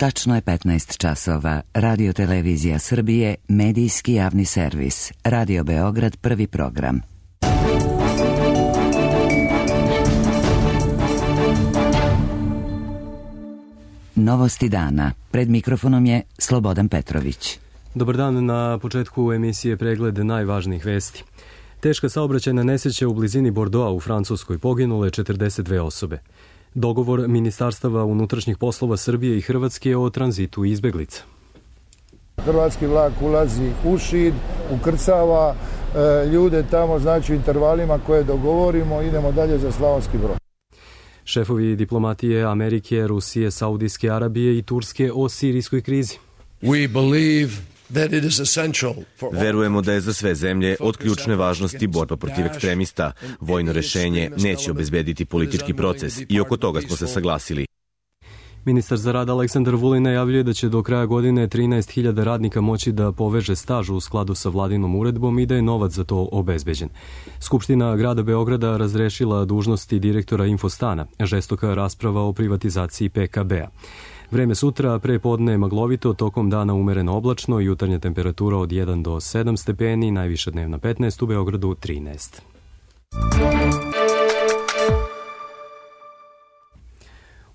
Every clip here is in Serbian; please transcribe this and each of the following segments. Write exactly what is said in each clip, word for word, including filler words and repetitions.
Tačno je petnaest časova. Radio Televizija Srbije, medijski javni servis. Radio Beograd, prvi program. Novosti dana. Pred mikrofonom je Slobodan Petrović. Dobar dan, na početku emisije pregled najvažnijih vesti. Teška saobraćajna nesreća u blizini Bordeauxa u Francuskoj, poginule četrdeset dve osobe. Dogovor Ministarstava unutrašnjih poslova Srbije i Hrvatske o tranzitu izbeglica. Hrvatski vlak ulazi u Šid, ukrcava e, ljude tamo, znači u intervalima koje dogovorimo, idemo dalje za Slavonski Brod. Šefovi diplomatije Amerike, Rusije, Saudijske Arabije i Turske o sirijskoj krizi. We believe that it is essential for all... Verujemo da je za sve zemlje od ključne važnosti borba protiv ekstremista. Vojno rešenje neće obezbediti politički proces i oko toga smo se saglasili. Ministar za rad Aleksandar Vulin najavljuje da će do kraja godine trinaest hiljada radnika moći da poveže staž u skladu sa vladinom uredbom i da je novac za to obezbeđen. Skupština grada Beograda razrešila dužnosti direktora Infostana. Žestoka rasprava o privatizaciji P K B-a. Vreme sutra, pre podne maglovito, tokom dana umereno oblačno, jutarnja temperatura od jedan do sedam stepeni, najviša dnevna petnaest, u Beogradu trinaest.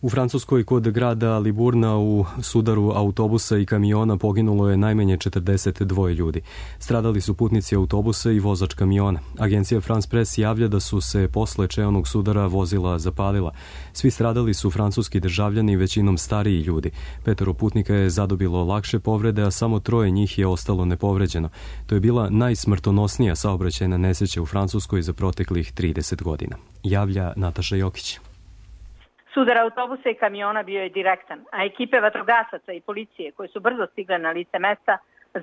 U Francuskoj kod grada Liburna u sudaru autobusa i kamiona poginulo je najmanje četrdeset dvoje ljudi. Stradali su putnici autobusa i vozač kamiona. Agencija France Press javlja da su se posle čeonog sudara vozila zapalila. Svi stradali su francuski državljani, većinom stariji ljudi. Petoro putnika je zadobilo lakše povrede, a samo troje njih je ostalo nepovređeno. To je bila najsmrtonosnija saobraćajna nesreća u Francuskoj za proteklih trideset godina. Javlja Nataša Jokić. Sudar autobusa i kamiona bio je direktan, a ekipe vatrogasaca i policije koje su brzo stigle na lice mesta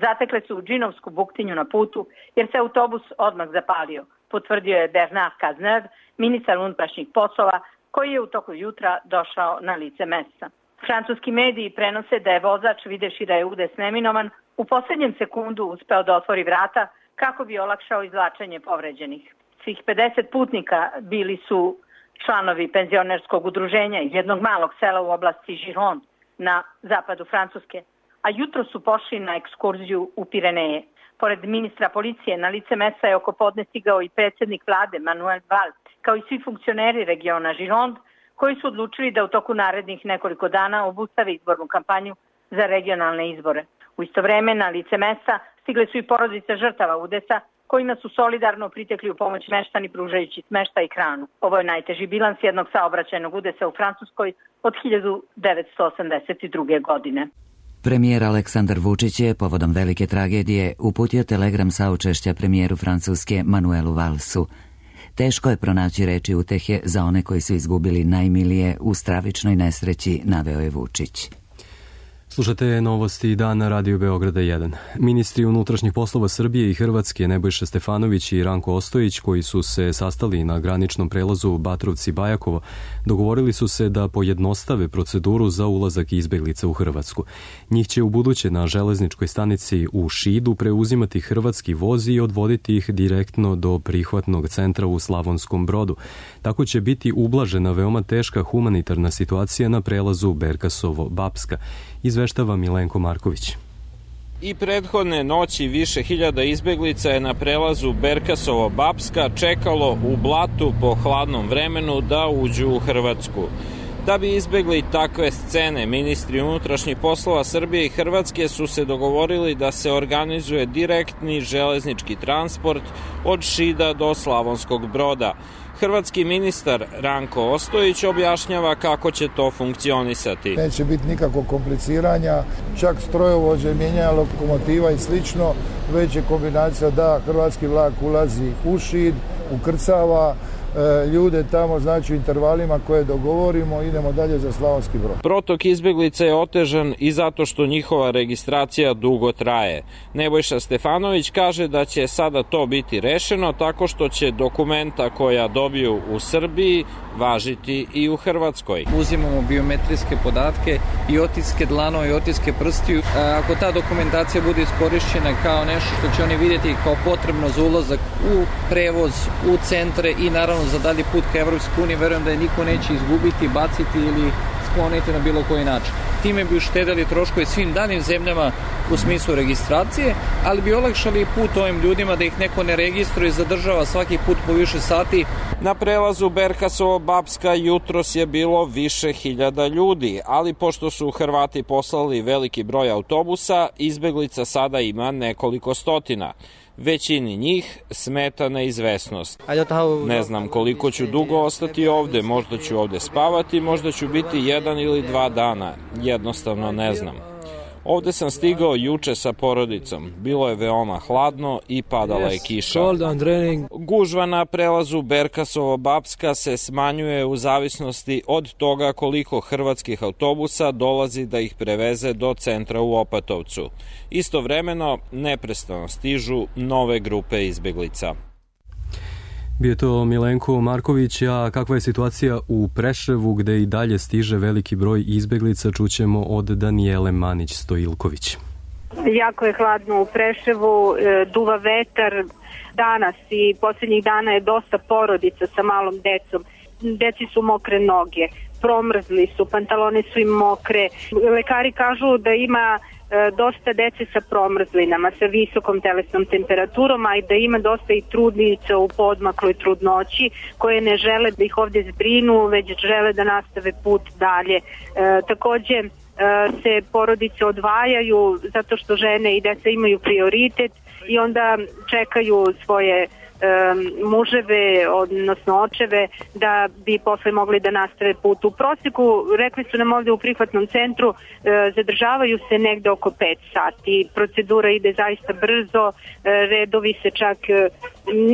zatekle su džinovsku buktinju na putu jer se autobus odmah zapalio, potvrdio je Bernard Cazeneuve, ministar unutrašnjih poslova, koji je u toku jutra došao na lice mesta. Francuski mediji prenose da je vozač, videvši da je udes neminovan, u poslednjem sekundu uspeo da otvori vrata kako bi olakšao izvlačenje povređenih. Svih pedeset putnika bili su članovi penzionerskog udruženja iz jednog malog sela u oblasti Gironde na zapadu Francuske, a jutro su pošli na ekskurziju u Pireneje. Pored ministra policije na lice mesta je oko podne stigao i predsjednik vlade Manuel Valls, kao i svi funkcioneri regiona Gironde, koji su odlučili da u toku narednih nekoliko dana obustave izbornu kampanju za regionalne izbore. U isto vreme na lice mesta stigle su i porodice žrtava udesa, kojima su solidarno pritekli u pomoć meštani pružajući smeštaj i hranu. Ovo je najteži bilans jednog saobraćajnog udesa u Francuskoj od hiljadu devetsto osamdeset druge. godine. Premijer Aleksandar Vučić je povodom velike tragedije uputio telegram saučešća premijeru Francuske Manuelu Vallsu. Teško je pronaći reči utehe za one koji su izgubili najmilije u stravičnoj nesreći, naveo je Vučić. Slušate novosti dana Radio Beograda jedan. Ministri unutrašnjih poslova Srbije i Hrvatske Nebojša Stefanović i Ranko Ostojić, koji su se sastali na graničnom prelazu Batrovci-Bajakovo, dogovorili su se da pojednostave proceduru za ulazak izbeglica u Hrvatsku. Njih će u buduće na železničkoj stanici u Šidu preuzimati hrvatski voz i odvoditi ih direktno do prihvatnog centra u Slavonskom Brodu. Tako će biti ublažena veoma teška humanitarna situacija na prelazu Berkasovo-Bapska. Izveštava Milenko Marković. I prethodne noći više hiljada izbeglica je na prelazu Berkasovo-Bapska čekalo u blatu po hladnom vremenu da uđu u Hrvatsku. Da bi izbegli takve scene, ministri unutrašnjih poslova Srbije i Hrvatske su se dogovorili da se organizuje direktni železnički transport od Šida do Slavonskog Broda. Hrvatski ministar Ranko Ostojić objašnjava kako će to funkcionisati. Neće biti nikakvog kompliciranja, čak strojovođe, mijenjanja lokomotiva i slično, već je kombinacija da hrvatski vlak ulazi u Šid, ukrcava ljude tamo, znači u intervalima koje dogovorimo, idemo dalje za Slavonski Brod. Protok izbeglica je otežan i zato što njihova registracija dugo traje. Nebojša Stefanović kaže da će sada to biti rešeno tako što će dokumenta koja dobiju u Srbiji važiti i u Hrvatskoj. Uzimamo biometrijske podatke i otiske dlanova i otiske prstiju. Ako ta dokumentacija bude iskorišćena kao nešto što će oni vidjeti kao potrebno za ulazak u prevoz, u centre i naravno za dalji put ka Evropskoj uniji, verujem da je niko neće izgubiti, baciti ili otkloniti na bilo koji način. Time bi uštedeli troškove svim danim zemljama u smislu registracije, ali bi olakšali put ovim ljudima da ih neko ne registruje i zadržava svaki put po više sati. Na prelazu Berkasovo-Bapska jutros je bilo više hiljada ljudi, ali pošto su Hrvati poslali veliki broj autobusa, izbeglica sada ima nekoliko stotina. Većini njih smeta neizvesnost. Ne znam koliko ću dugo ostati ovde, možda ću ovde spavati, možda ću biti jedan ili dva dana, jednostavno ne znam. Ovde sam stigao juče sa porodicom, bilo je veoma hladno i padala je kiša. Gužva na prelazu Berkasovo-Bapska se smanjuje u zavisnosti od toga koliko hrvatskih autobusa dolazi da ih preveze do centra u Opatovcu. Istovremeno neprestano stižu nove grupe izbeglica. Bio je to Milenko Marković, a kakva je situacija u Preševu gde i dalje stiže veliki broj izbeglica, čućemo od Danijele Manić-Stojilković. Jako je hladno u Preševu, duva vetar, danas i posljednjih dana je dosta porodica sa malom decom. Deci su mokre noge, promrzli su, pantalone su im mokre. Lekari kažu da ima dosta dece sa promrzlinama, sa visokom telesnom temperaturom, a i da ima dosta i trudnica u poodmakloj trudnoći koje ne žele da ih ovdje zbrinu, već žele da nastave put dalje. E, takođe e, se porodice odvajaju zato što žene i deca imaju prioritet i onda čekaju svoje muževe, odnosno očeve, da bi posle mogli da nastave put. U prosjeku, rekli su nam ovde u prihvatnom centru, zadržavaju se negde oko pet sati. Procedura ide zaista brzo, redovi se čak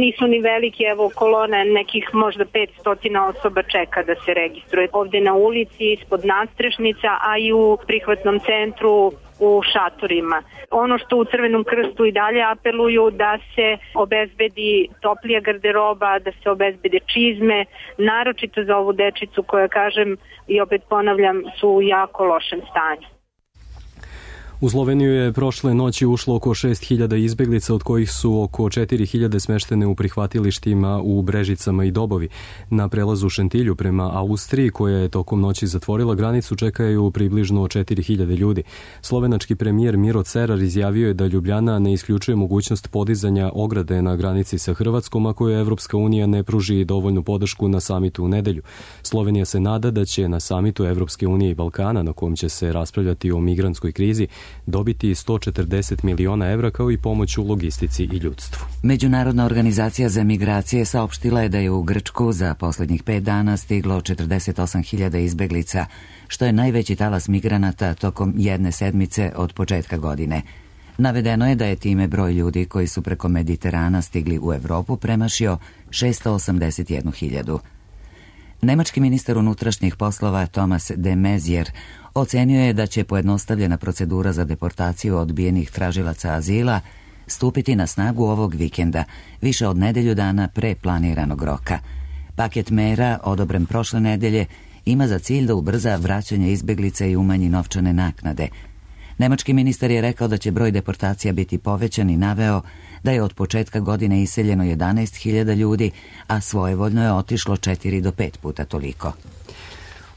nisu ni veliki, evo kolona nekih možda petsto osoba čeka da se registruje. Ovde na ulici, ispod nadstrešnica, a i u prihvatnom centru u šatorima. Ono što u Crvenom krstu i dalje apeluju da se obezbedi toplija garderoba, da se obezbede čizme, naročito za ovu dečicu koja, kažem i opet ponavljam, su u jako lošem stanju. U Sloveniju je prošle noći ušlo oko šest hiljada izbeglica, od kojih su oko četiri hiljade smeštene u prihvatilištima u Brežicama i Dobovi. Na prelazu Šentilju prema Austriji, koja je tokom noći zatvorila granicu, čekaju približno četiri hiljade ljudi. Slovenački premijer Miro Cerar izjavio je da Ljubljana ne isključuje mogućnost podizanja ograde na granici sa Hrvatskom ako je Evropska unija ne pruži dovoljnu podršku na samitu u nedelju. Slovenija se nada da će na samitu Evropske unije i Balkana, na kojem će se raspravljati o migrantskoj krizi, dobiti sto četrdeset miliona evra kao i pomoć u logistici i ljudstvu. Međunarodna organizacija za migracije saopštila je da je u Grčku za posljednjih pet dana stiglo četrdeset osam hiljada izbeglica, što je najveći talas migranata tokom jedne sedmice od početka godine. Navedeno je da je time broj ljudi koji su preko Mediterana stigli u Evropu premašio šesto osamdeset jednu hiljadu. Nemački ministar unutrašnjih poslova Thomas de Maizière ocenio je da će pojednostavljena procedura za deportaciju odbijenih tražilaca azila stupiti na snagu ovog vikenda, više od nedelju dana pre planiranog roka. Paket mera, odobren prošle nedelje, ima za cilj da ubrza vraćanje izbeglica i umanji novčane naknade. Nemački ministar je rekao da će broj deportacija biti povećan i naveo da je od početka godine iseljeno jedanaest hiljada ljudi, a svojevoljno je otišlo četiri do pet puta toliko.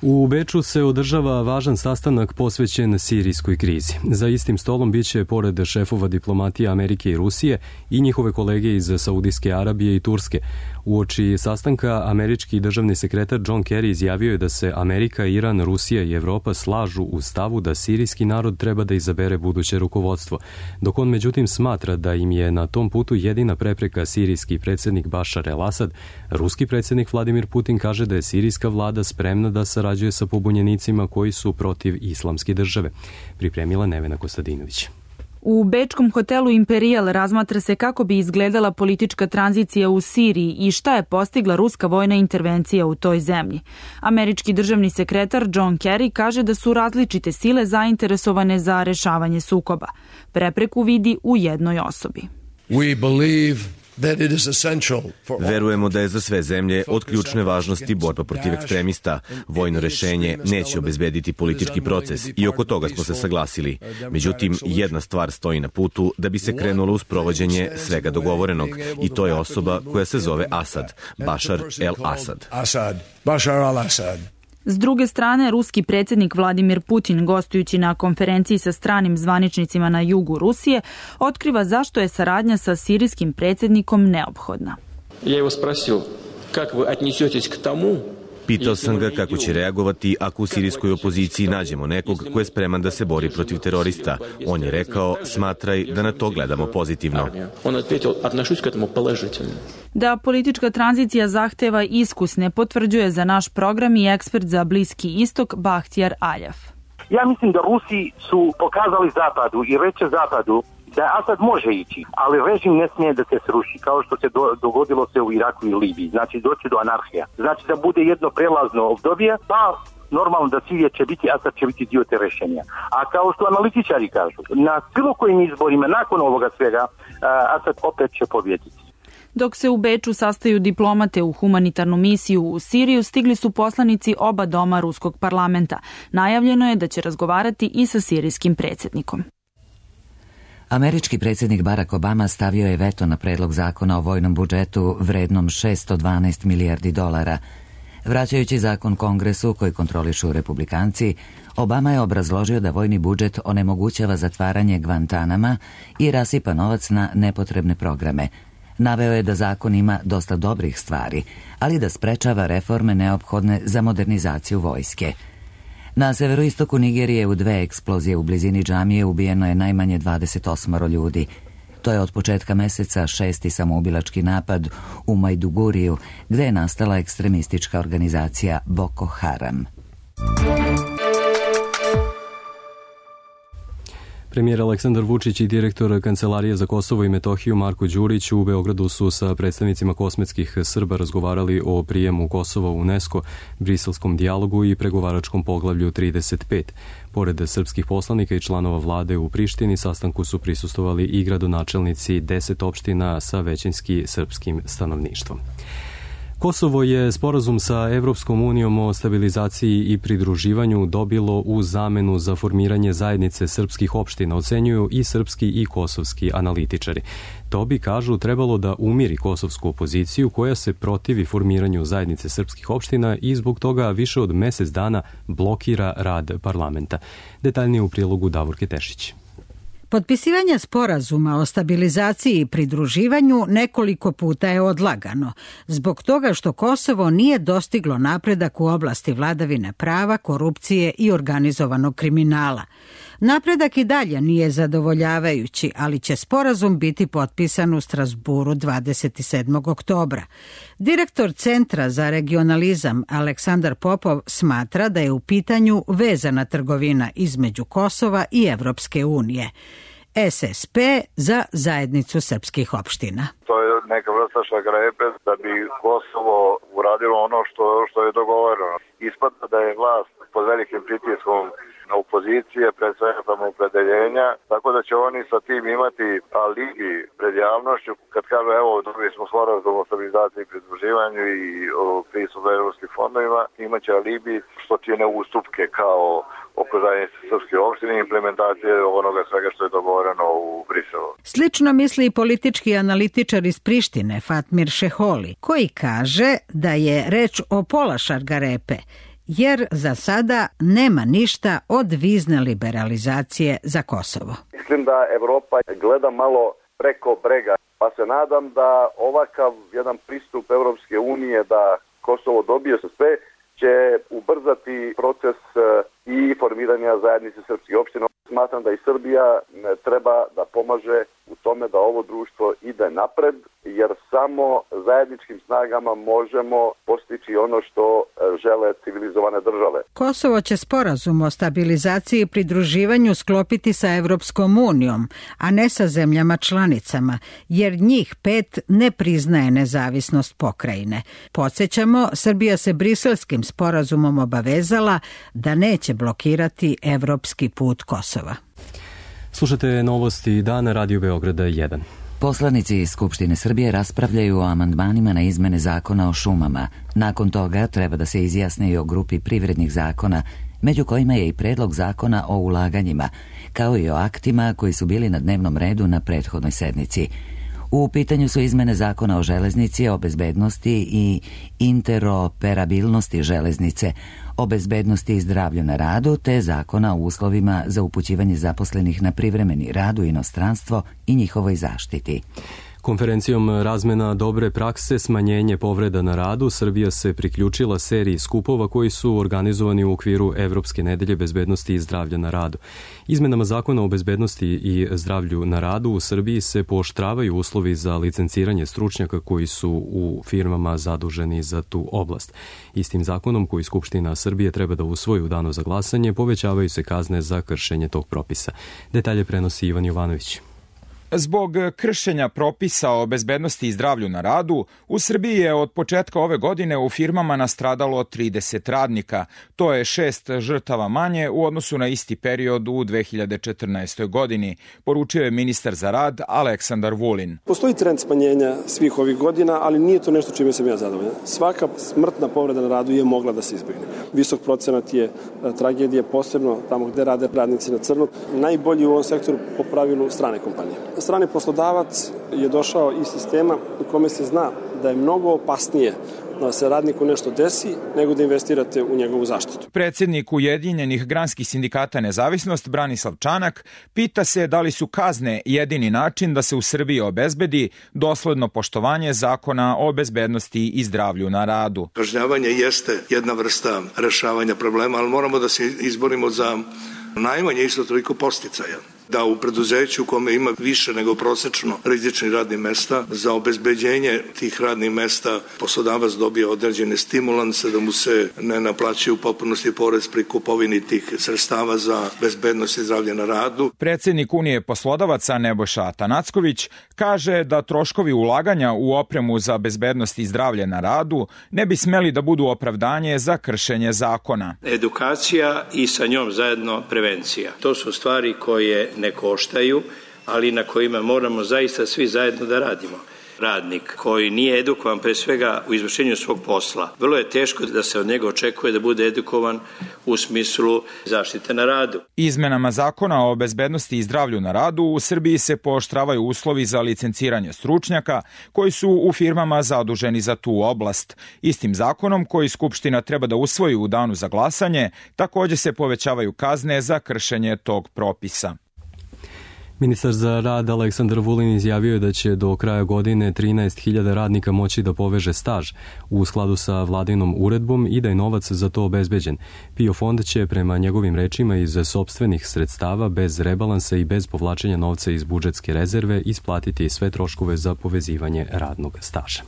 U Beču se održava važan sastanak posvećen sirijskoj krizi. Za istim stolom biće, pored šefova diplomatije Amerike i Rusije, i njihove kolege iz Saudijske Arabije i Turske. Uoči sastanka američki državni sekretar John Kerry izjavio je da se Amerika, Iran, Rusija i Evropa slažu u stavu da sirijski narod treba da izabere buduće rukovodstvo, dok on međutim smatra da im je na tom putu jedina prepreka sirijski predsjednik Bašar el-Asad. Ruski predsjednik Vladimir Putin kaže da je sirijska vlada spremna da sarađuje sa pobunjenicima koji su protiv islamske države. Pripremila Nevena Kostadinović. U bečkom hotelu Imperial razmatra se kako bi izgledala politička tranzicija u Siriji i šta je postigla ruska vojna intervencija u toj zemlji. Američki državni sekretar John Kerry kaže da su različite sile zainteresovane za rešavanje sukoba. Prepreku vidi u jednoj osobi. We believe Verujemo da je za sve zemlje od ključne važnosti borba protiv ekstremista. Vojno rešenje neće obezbediti politički proces i oko toga smo se saglasili. Međutim, jedna stvar stoji na putu da bi se krenulo u sprovođenje svega dogovorenog i to je osoba koja se zove Asad, Bašar el-Asad. S druge strane, ruski predsjednik Vladimir Putin, gostujući na konferenciji sa stranim zvaničnicima na jugu Rusije, otkriva zašto je saradnja sa sirijskim predsjednikom neophodna. Ja его спросил, как вы отнесетесь к тому. Pitao sam ga kako će reagovati ako u sirijskoj opoziciji nađemo nekog ko je spreman da se bori protiv terorista. On je rekao, smatraj da na to gledamo pozitivno. Da politička tranzicija zahteva iskusne potvrđuje za naš program i ekspert za Bliski istok Bahtjar Aljav. Ja mislim da Rusi su pokazali Zapadu i reče Zapadu da Asad može ići, ali režim ne smije da se sruši, kao što se do, dogodilo se u Iraku i Libiji. Znači, doći do anarhija. Znači, da bude jedno prelazno obdobje, pa normalno da Sirija će biti, Asad će biti dio te rešenja. A kao što analitičari kažu, na bilo kojim izborima, nakon ovoga svega, Asad opet će pobjediti. Dok se u Beču sastaju diplomate u humanitarnu misiju u Siriju, stigli su poslanici oba doma ruskog parlamenta. Najavljeno je da će razgovarati i sa sirijskim predsjednikom. Američki predsjednik Barack Obama stavio je veto na predlog zakona o vojnom budžetu vrednom šesto dvanaest milijardi dolara. Vraćajući zakon Kongresu koji kontrolišu republikanci, Obama je obrazložio da vojni budžet onemogućava zatvaranje Guantanama i rasipa novac na nepotrebne programe. Naveo je da zakon ima dosta dobrih stvari, ali da sprečava reforme neophodne za modernizaciju vojske. Na severoistoku Nigerije u dve eksplozije u blizini džamije ubijeno je najmanje dvadeset osam ljudi. To je od početka meseca šesti samoubilački napad u Majduguriju, gde je nastala ekstremistička organizacija Boko Haram. Premijer Aleksandar Vučić i direktor Kancelarije za Kosovo i Metohiju Marko Đurić u Beogradu su sa predstavnicima kosmetskih Srba razgovarali o prijemu Kosova u UNESCO, briselskom dijalogu i pregovaračkom poglavlju trideset pet. Pored srpskih poslanika i članova vlade u Prištini, sastanku su prisustvovali i gradonačelnici deset opština sa većinski srpskim stanovništvom. Kosovo je sporazum sa Evropskom unijom o stabilizaciji i pridruživanju dobilo u zamenu za formiranje zajednice srpskih opština, ocenjuju i srpski i kosovski analitičari. To bi, kažu, trebalo da umiri kosovsku opoziciju koja se protivi formiranju zajednice srpskih opština i zbog toga više od mesec dana blokira rad parlamenta. Detaljnije u prilogu Davorke Tešić. Potpisivanje sporazuma o stabilizaciji i pridruživanju nekoliko puta je odlagano, zbog toga što Kosovo nije dostiglo napredak u oblasti vladavine prava, korupcije i organizovanog kriminala. Napredak i dalje nije zadovoljavajući, ali će sporazum biti potpisan u Strasburu dvadeset sedmog oktobra. Direktor Centra za regionalizam Aleksandar Popov smatra da je u pitanju vezana trgovina između Kosova i Evropske unije. S S P za zajednicu srpskih opština. To je neka vrsta šargarepe da bi Kosovo uradilo ono što, što je dogovoreno. Ispada da je vlast pod velikim pritiskom na opozicije, pred svega samoopredeljenja, tako da će oni sa tim imati alibi pred javnošću. Kad kažu, evo, dobili smo sporazum o stabilizaciji i pridruživanju i o pristupu evropskim fondovima, imaće alibi što čine ustupke kao oko zajednice srpske opštine i implementacije onoga svega što je dogovoreno u Briselu. Slično misli i politički analitičar iz Prištine, Fatmir Šeholi, koji kaže da je reč o pola šargarepe, jer za sada nema ništa od vizne liberalizacije za Kosovo. Mislim da Evropa gleda malo preko brega, pa se nadam da ovakav jedan pristup Evropske unije da Kosovo dobije sve će ubrzati proces i formiranja zajednice srpskih opština. Smatram da i Srbija treba da pomaže u tome da ovo društvo ide napred, jer samo zajedničkim snagama možemo postići ono što žele civilizovane države. Kosovo će sporazum o stabilizaciji i pridruživanju sklopiti sa Evropskom unijom, a ne sa zemljama članicama, jer njih pet ne priznaje nezavisnost pokrajine. Podsjećamo, Srbija se briselskim sporazumom obavezala da neće blokirati evropski put Kosova. Slušate novosti dana Radio Beograda jedan. Poslanici iz Skupštine Srbije raspravljaju o amandmanima na izmene zakona o šumama. Nakon toga treba da se izjasne i o grupi privrednih zakona, među kojima je i predlog zakona o ulaganjima, kao i o aktima koji su bili na dnevnom redu na prethodnoj sednici. U pitanju su izmene zakona o železnici, o bezbednosti i interoperabilnosti železnice, o bezbednosti i zdravlju na radu, te zakona o uslovima za upućivanje zaposlenih na privremeni rad u inostranstvo i njihovoj zaštiti. Konferencijom razmena dobre prakse, smanjenje povreda na radu, Srbija se priključila seriji skupova koji su organizovani u okviru Evropske nedelje bezbednosti i zdravlja na radu. Izmenama zakona o bezbednosti i zdravlju na radu u Srbiji se pooštravaju uslovi za licenciranje stručnjaka koji su u firmama zaduženi za tu oblast. Istim zakonom koji Skupština Srbije treba da usvoji u danu za glasanje, povećavaju se kazne za kršenje tog propisa. Detalje prenosi Ivan Jovanović. Zbog kršenja propisa o bezbednosti i zdravlju na radu, u Srbiji je od početka ove godine u firmama nastradalo trideset radnika. To je šest žrtava manje u odnosu na isti period u dve hiljade četrnaestoj. godini, poručio je ministar za rad Aleksandar Vulin. Postoji trend smanjenja svih ovih godina, ali nije to nešto čime sam ja zadovoljan. Svaka smrtna povreda na radu je mogla da se izbegne. Visok procenat je tragedije, posebno tamo gde rade radnici na crno. Najbolji u ovom sektoru po pravilu strane kompanije. Strani poslodavac je došao iz sistema u kome se zna da je mnogo opasnije da se radniku nešto desi nego da investirate u njegovu zaštitu. Predsjednik Ujedinjenih granskih sindikata Nezavisnost Branislav Čanak pita se da li su kazne jedini način da se u Srbiji obezbedi dosledno poštovanje zakona o bezbednosti i zdravlju na radu. Kažnjavanje jeste jedna vrsta rešavanja problema, ali moramo da se izborimo za najmanje isto toliko podsticaja. Da u preduzeću u kome ima više nego prosečno rizičnih radnih mesta, za obezbeđenje tih radnih mesta poslodavac dobije određene stimulanse da mu se ne naplaćuje u potpunosti porez pri kupovini tih sredstava za bezbednost i zdravlje na radu. Predsjednik Unije poslodavaca Nebojša Atanacković kaže da troškovi ulaganja u opremu za bezbednost i zdravlje na radu ne bi smeli da budu opravdanje za kršenje zakona. Edukacija i sa njom zajedno prevencija. To su stvari koje ne koštaju, ali na kojima moramo zaista svi zajedno da radimo. Radnik koji nije edukovan pre svega u izvršenju svog posla, vrlo je teško da se od njega očekuje da bude edukovan u smislu zaštite na radu. Izmenama zakona o bezbednosti i zdravlju na radu u Srbiji se pooštravaju uslovi za licenciranje stručnjaka koji su u firmama zaduženi za tu oblast. Istim zakonom koji Skupština treba da usvoji u danu za glasanje, takođe se povećavaju kazne za kršenje tog propisa. Ministar za rad Aleksandar Vulin izjavio je da će do kraja godine trinaest hiljada radnika moći da poveže staž u skladu sa vladinom uredbom i da je novac za to obezbeđen. PIO fond će prema njegovim rečima iz sopstvenih sredstava bez rebalansa i bez povlačenja novca iz budžetske rezerve isplatiti sve troškove za povezivanje radnog staža.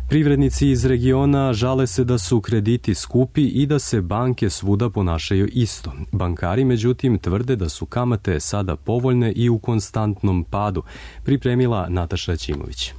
Privrednici iz regiona žale se da su krediti skupi i da se banke svuda ponašaju isto. Bankari, međutim, tvrde da su kamate sada povoljne i u konstantnom padu, pripremila Nataša Ćimović.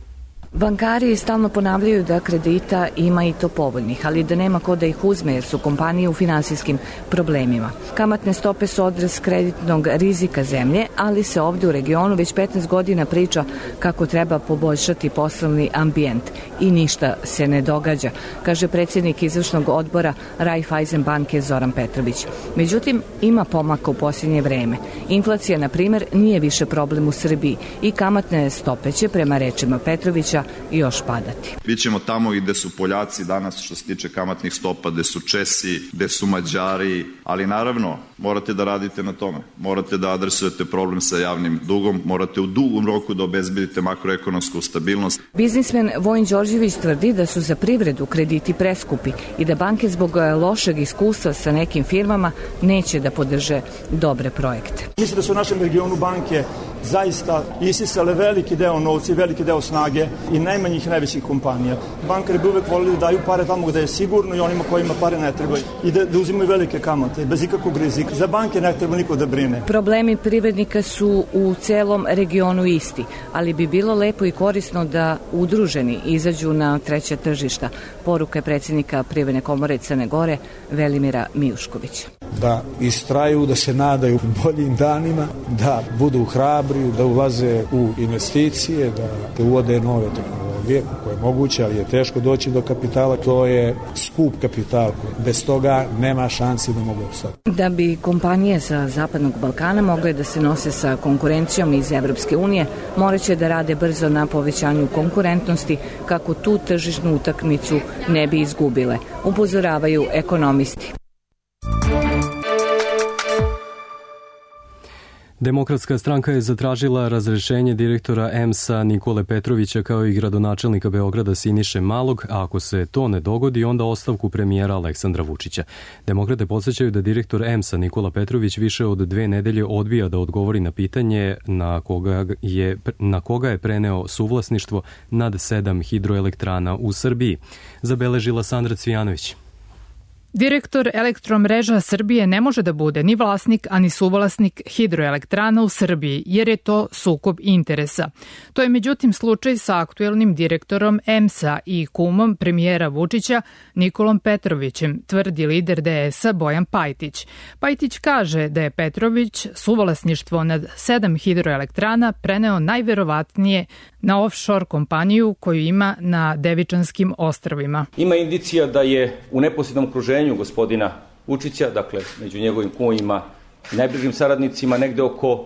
Bankari stalno ponavljaju da kredita ima i to povoljnih, ali da nema ko da ih uzme jer su kompanije u finansijskim problemima. Kamatne stope su odraz kreditnog rizika zemlje, ali se ovde u regionu već petnaest godina priča kako treba poboljšati poslovni ambijent i ništa se ne događa, kaže predsjednik izvršnog odbora Raiffeisen banke Zoran Petrović. Međutim, ima pomaka u posljednje vreme. Inflacija, na primer, nije više problem u Srbiji i kamatne stope će, prema rečima Petrovića, i još padati. Bićemo tamo i gde su Poljaci danas što se tiče kamatnih stopa, gde su Česi, gde su Mađari, ali naravno morate da radite na tome. Morate da adresujete problem sa javnim dugom, morate u dugom roku da obezbedite makroekonomsku stabilnost. Biznismen Vojin Đorđević tvrdi da su za privredu krediti preskupi i da banke zbog lošeg iskustva sa nekim firmama neće da podrže dobre projekte. Mislim da su u našem regionu banke zaista isisale veliki deo novca i veliki deo snage i najmanjih i najvećih kompanija. Bankari bi uvek volili da daju pare tamo gde je sigurno i onima kojima pare ne trebaju i da, da uzimaju velike kamate bez ikakvog rizika. Za banke ne treba niko da brine. Problemi privrednika su u celom regionu isti, ali bi bilo lepo i korisno da udruženi izađu na treća tržišta. Poruka je predsjednika Privredne komore Crne Gore Velimira Mijuškovića. Da istraju, da se nadaju boljim danima, da budu hrabri, da ulaze u investicije, da, da uvode nove tehnologije. vijeku koje je moguće, ali je teško doći do kapitala, to je skup kapital. Bez toga nema šansi da mogu opstati. Da bi kompanije sa Zapadnog Balkana mogle da se nose sa konkurencijom iz Evropske unije, morat će da rade brzo na povećanju konkurentnosti kako tu tržišnu utakmicu ne bi izgubile, upozoravaju ekonomisti. Demokratska stranka je zatražila razrešenje direktora E M S-a Nikole Petrovića kao i gradonačelnika Beograda Siniše Malog, a ako se to ne dogodi, onda ostavku premijera Aleksandra Vučića. Demokrate podsjećaju da direktor E M S-a Nikola Petrović više od dve nedelje odbija da odgovori na pitanje na koga je, na koga je preneo suvlasništvo nad sedam hidroelektrana u Srbiji. Zabeležila Sandra Cvijanović. Direktor Elektromreža Srbije ne može da bude ni vlasnik, ani suvlasnik hidroelektrana u Srbiji, jer je to sukob interesa. To je međutim slučaj sa aktuelnim direktorom E M S-a i kumom premijera Vučića Nikolom Petrovićem, tvrdi lider D S-a Bojan Pajtić. Pajtić kaže da je Petrović suvlasništvo nad sedam hidroelektrana preneo najverovatnije na offshore kompaniju koju ima na Devičanskim ostrvima. Ima indicija da je u neposrednom okruženju gospodina Vučića, dakle među njegovim kumovima i najbližim saradnicima, negde oko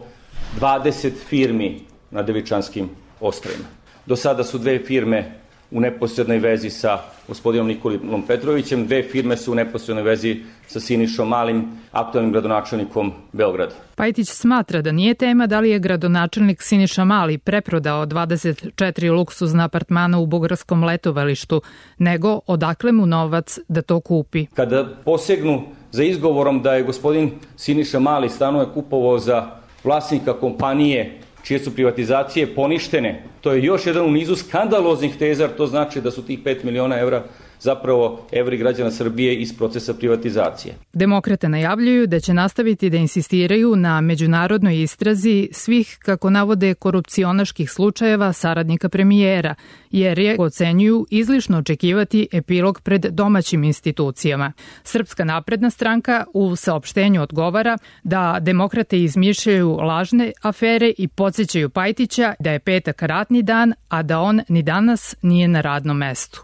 dvadeset firmi na Devičanskim ostrvima. Do sada su dve firme u neposrednoj vezi sa gospodinom Nikolom Petrovićem, dve firme su u neposrednoj vezi sa Sinišom Malim, aktualnim gradonačelnikom Beograda. Pajtić smatra da nije tema da li je gradonačelnik Siniša Mali preprodao dvadeset četiri luksuzna apartmana u bugarskom letovalištu, nego odakle mu novac da to kupi. Kada posegnu za izgovorom da je gospodin Siniša Mali stanove kupovao za vlasnika kompanije čije su privatizacije poništene, to je još jedan u nizu skandaloznih teza, to znači da su tih pet miliona evra zapravo evri građana Srbije iz procesa privatizacije. Demokrate najavljuju da će nastaviti da insistiraju na međunarodnoj istrazi svih, kako navode, korupcionaških slučajeva saradnika premijera, jer je, ocenjuju, izlišno očekivati epilog pred domaćim institucijama. Srpska napredna stranka u saopštenju odgovara da demokrate izmišljaju lažne afere i podsjećaju Pajtića da je petak ratni dan, a da on ni danas nije na radnom mestu.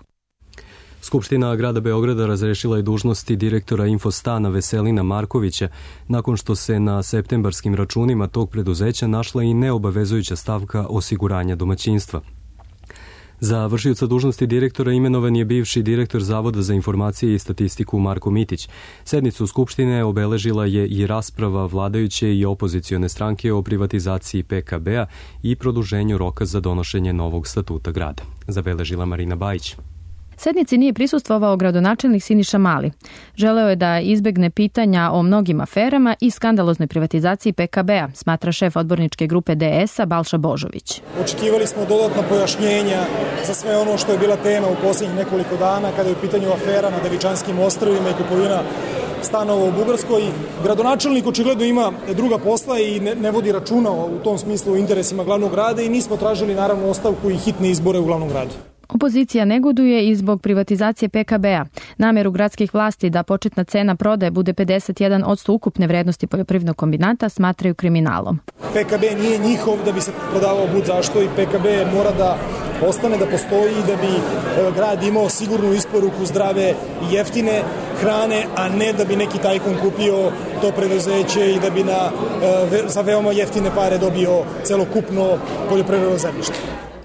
Skupština grada Beograda razrešila je dužnosti direktora Infostana Veselina Markovića nakon što se na septembarskim računima tog preduzeća našla i neobavezujuća stavka osiguranja domaćinstva. Za vršioca dužnosti direktora imenovan je bivši direktor Zavoda za informacije i statistiku Marko Mitić. Sednicu Skupštine obeležila je i rasprava vladajuće i opozicione stranke o privatizaciji P K B-a i produženju roka za donošenje novog statuta grada. Zabeležila Marina Bajić. Sednici nije prisustvovao gradonačelnik Siniša Mali. Želeo je da izbegne pitanja o mnogim aferama i skandaloznoj privatizaciji P K B-a, smatra šef odborničke grupe D S-a Balša Božović. Očekivali smo dodatna pojašnjenja za sve ono što je bila tema u posljednjih nekoliko dana kada je u pitanju afera na Devičanskim ostrvima i kupovina stanova u Bugarskoj. Gradonačelnik očigledno ima druga posla i ne, ne vodi računa u tom smislu u interesima glavnog grada i nismo tražili naravno ostavku i hitne izbore u glavnom gradu. Opozicija negoduje i zbog privatizacije P K B-a. Nameru gradskih vlasti da početna cena prodaje bude pedeset jedan posto ukupne vrednosti poljoprivrednog kombinata smatraju kriminalom. P K B nije njihov da bi se prodavao bud zašto i P K B mora da ostane, da postoji i da bi grad imao sigurnu isporuku zdrave i jeftine hrane, a ne da bi neki tajkun kupio to preduzeće i da bi na, za veoma jeftine pare dobio celokupno poljoprivredno zemljište.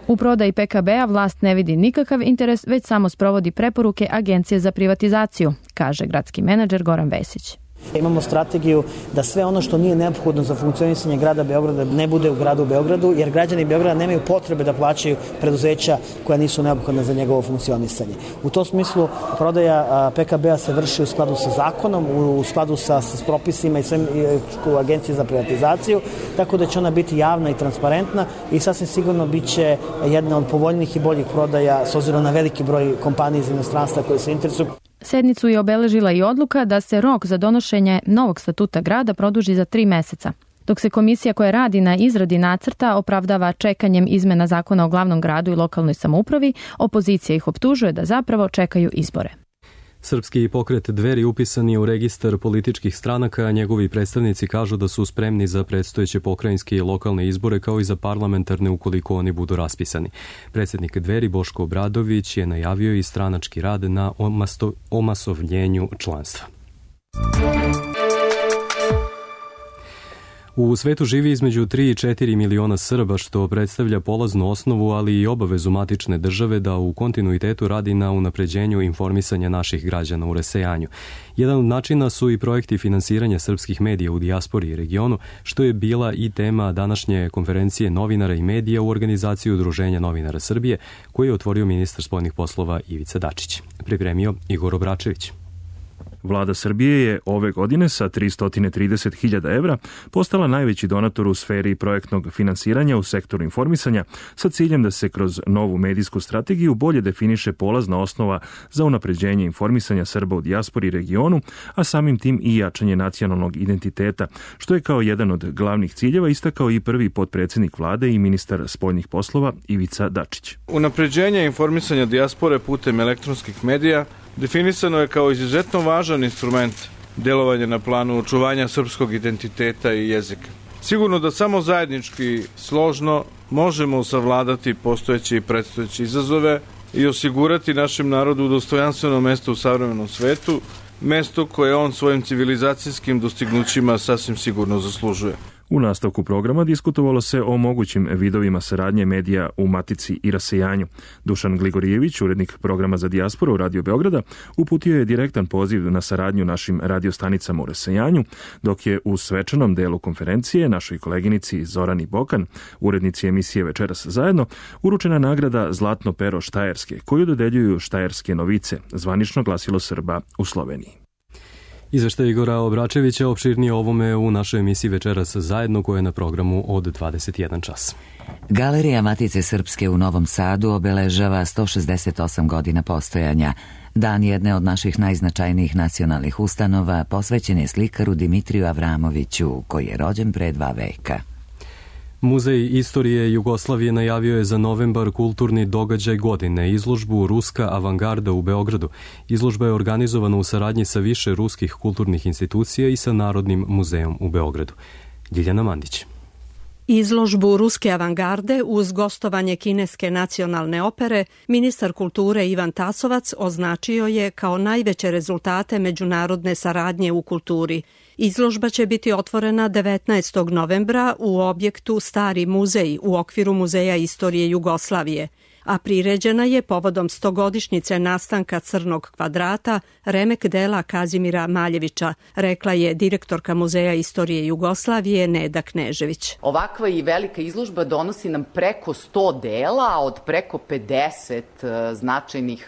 U prodaji P K B-a vlast ne vidi nikakav interes, već samo sprovodi preporuke Agencije za privatizaciju, kaže gradski menadžer Goran Vesić. Imamo strategiju da sve ono što nije neophodno za funkcionisanje grada Beograda ne bude u gradu Beogradu, jer građani Beograda nemaju potrebe da plaćaju preduzeća koja nisu neophodna za njegovo funkcionisanje. U tom smislu prodaja P K B-a se vrši u skladu sa zakonom, u skladu sa, sa propisima i svem u Agenciji za privatizaciju, tako da će ona biti javna i transparentna i sasvim sigurno bit će jedna od povoljnijih i boljih prodaja s obzirom na veliki broj kompanija iz inostranstva koje se interesuju. Sednicu je obeležila i odluka da se rok za donošenje novog statuta grada produži za tri meseca. Dok se komisija koja radi na izradi nacrta opravdava čekanjem izmena zakona o glavnom gradu i lokalnoj samoupravi, opozicija ih optužuje da zapravo čekaju izbore. Srpski pokret Dveri upisan je u registar političkih stranaka, a njegovi predstavnici kažu da su spremni za predstojeće pokrajinske i lokalne izbore kao i za parlamentarne ukoliko oni budu raspisani. Predsjednik Dveri Boško Obradović je najavio i stranački rad na omasto, omasovljenju članstva. U svetu živi između tri i četiri miliona Srba, što predstavlja polaznu osnovu, ali i obavezu matične države da u kontinuitetu radi na unapređenju informisanja naših građana u rasejanju. Jedan od načina su i projekti finansiranja srpskih medija u dijaspori i regionu, što je bila i tema današnje konferencije novinara i medija u organizaciji Udruženja novinara Srbije, koji je otvorio ministar spoljnih poslova Ivica Dačić. Pripremio Igor Obračević. Vlada Srbije je ove godine sa tristo trideset hiljada evra postala najveći donator u sferi projektnog finansiranja u sektoru informisanja sa ciljem da se kroz novu medijsku strategiju bolje definiše polazna osnova za unapređenje informisanja Srba u dijaspori i regionu, a samim tim i jačanje nacionalnog identiteta, što je kao jedan od glavnih ciljeva istakao i prvi potpredsjednik vlade i ministar spoljnih poslova Ivica Dačić. Unapređenje informisanja dijaspore putem elektronskih medija definisano je kao izuzetno važan instrument delovanja na planu očuvanja srpskog identiteta i jezika. Sigurno da samo zajednički, složno, možemo savladati postojeće i predstojeće izazove i osigurati našem narodu dostojanstveno mesto u savremenom svetu, mesto koje on svojim civilizacijskim dostignućima sasvim sigurno zaslužuje. U nastavku programa diskutovalo se o mogućim vidovima saradnje medija u Matici i rasejanju. Dušan Gligorijević, urednik programa za dijasporu Radio Beograda, uputio je direktan poziv na saradnju našim radiostanicama u rasejanju, dok je u svečanom delu konferencije našoj koleginici Zorani Bokan, urednici emisije Večeras zajedno, uručena nagrada Zlatno pero Štajerske, koju dodeljuju Štajerske novice, zvanično glasilo Srba u Sloveniji. Izveštaj Igora Obračevića opširnije ovome u našoj emisiji Večeras zajedno, koja je na programu od dvadeset jedan čas. Galerija Matice Srpske u Novom Sadu obeležava sto šezdeset osam godina postojanja. Dan jedne od naših najznačajnijih nacionalnih ustanova posvećen je slikaru Dimitriju Avramoviću, koji je rođen pre dva veka. Muzej istorije Jugoslavije najavio je za novembar kulturni događaj godine, izložbu Ruska avangarda u Beogradu. Izložba je organizovana u saradnji sa više ruskih kulturnih institucija i sa Narodnim muzejom u Beogradu. Ljiljana Mandić. Izložbu Ruske avangarde uz gostovanje kineske nacionalne opere ministar kulture Ivan Tasovac označio je kao najveće rezultate međunarodne saradnje u kulturi. Izložba će biti otvorena devetnaestog novembra u objektu Stari muzej u okviru Muzeja istorije Jugoslavije, a priređena je povodom stogodišnjice nastanka Crnog kvadrata, remek dela Kazimira Maljevića, rekla je direktorka Muzeja istorije Jugoslavije Neda Knežević. Ovakva i velika izložba donosi nam preko sto dela, a od preko pedeset značajnih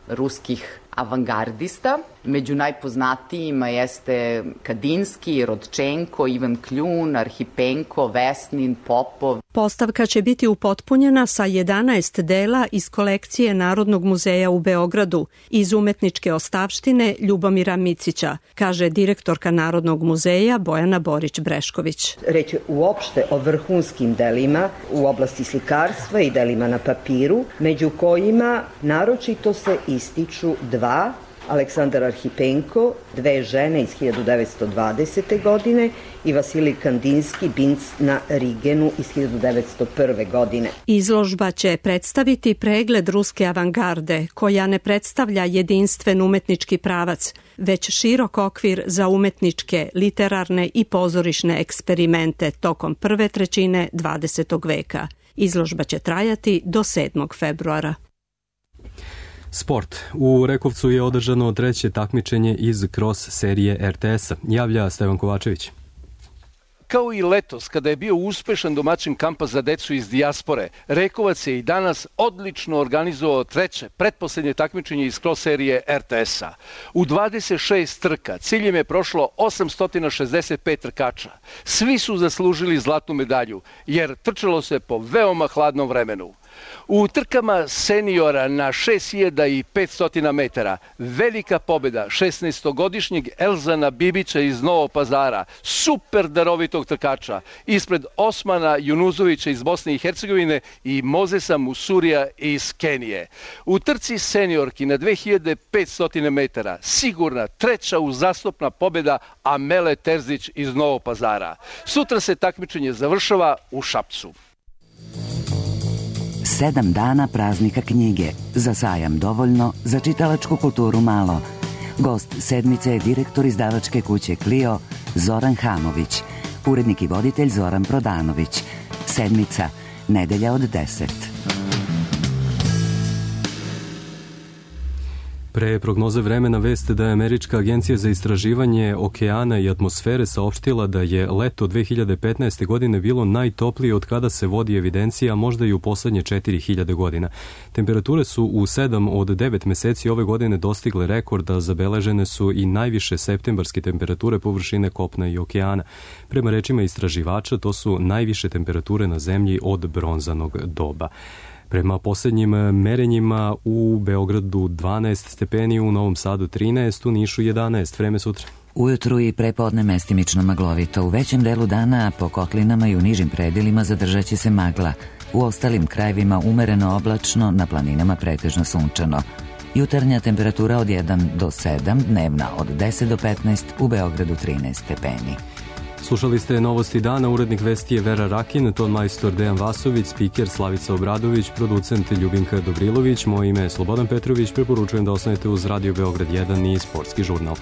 ruskih avangardista. Među najpoznatijima jeste Kadinski, Rodčenko, Ivan Kljun, Arhipenko, Vesnin, Popov. Postavka će biti upotpunjena sa jedanaest dela iz kolekcije Narodnog muzeja u Beogradu iz umetničke ostavštine Ljubomira Micića, kaže direktorka Narodnog muzeja Bojana Borić-Brešković. Reč je uopšte o vrhunskim delima u oblasti slikarstva i delima na papiru, među kojima naročito se ističu dva, Aleksandar Arhipenko, Dve žene iz hiljadu devetsto dvadesete. godine i Vasilij Kandinski, Binc na Rigenu iz hiljadu devetsto prve. godine. Izložba će predstaviti pregled ruske avangarde, koja ne predstavlja jedinstven umetnički pravac, već širok okvir za umetničke, literarne i pozorišne eksperimente tokom prve trećine dvadesetog veka. Izložba će trajati do sedmog februara. Sport. U Rekovcu je održano treće takmičenje iz cross serije er te es-a. Javlja Stevan Kovačević. Kao i letos, kada je bio uspešan domaćin kampa za decu iz dijaspore, Rekovac je i danas odlično organizovao treće, pretposlednje takmičenje iz cross serije er te es-a. U dvadeset šest trka ciljem je prošlo osamsto šezdeset pet trkača. Svi su zaslužili zlatnu medalju, jer trčalo se po veoma hladnom vremenu. U trkama seniora na šest hiljada petsto metara velika pobjeda šesnaestogodišnjeg Elzana Bibića iz Novog Pazara, super darovitog trkača, ispred Osmana Junuzovića iz Bosne i Hercegovine i Mozesa Musurija iz Kenije. U trci seniorki na dve hiljade petsto metara sigurna treća uzastopna pobjeda Amele Terzić iz Novog Pazara. Sutra se takmičenje završava u Šapcu. Sedam dana praznika knjige. Za sajam dovoljno, za čitalačku kulturu malo. Gost sedmice je direktor izdavačke kuće Clio Zoran Hamović, urednik i voditelj Zoran Prodanović. Sedmica, nedelja od deset. Pre prognoze vremena veste da je Američka agencija za istraživanje okeana i atmosfere saopštila da je leto dve hiljade petnaeste. godine bilo najtoplije od kada se vodi evidencija, možda i u poslednje četiri hiljade godina. Temperature su u sedam od devet meseci ove godine dostigle rekord, a zabeležene su i najviše septembarske temperature površine kopna i okeana. Prema rečima istraživača, to su najviše temperature na zemlji od bronzanog doba. Prema posljednjim merenjima u Beogradu dvanaest stepeni, u Novom Sadu trinaest, u Nišu jedanaest. Vreme sutra. Ujutru i prepodne mestimično maglovito. U većem delu dana po kotlinama i u nižim predelima zadržat će se magla. U ostalim krajevima umereno oblačno, na planinama pretežno sunčano. Jutarnja temperatura od jedan do sedam, dnevna od deset do petnaest, u Beogradu trinaest stepeni. Slušali ste Novosti dana, urednik vesti je Vera Rakin, ton majstor Dejan Vasović, spiker Slavica Obradović, producent Ljubinka Dobrilović, moje ime je Slobodan Petrović, preporučujem da ostanete uz Radio Beograd jedan i Sportski žurnal.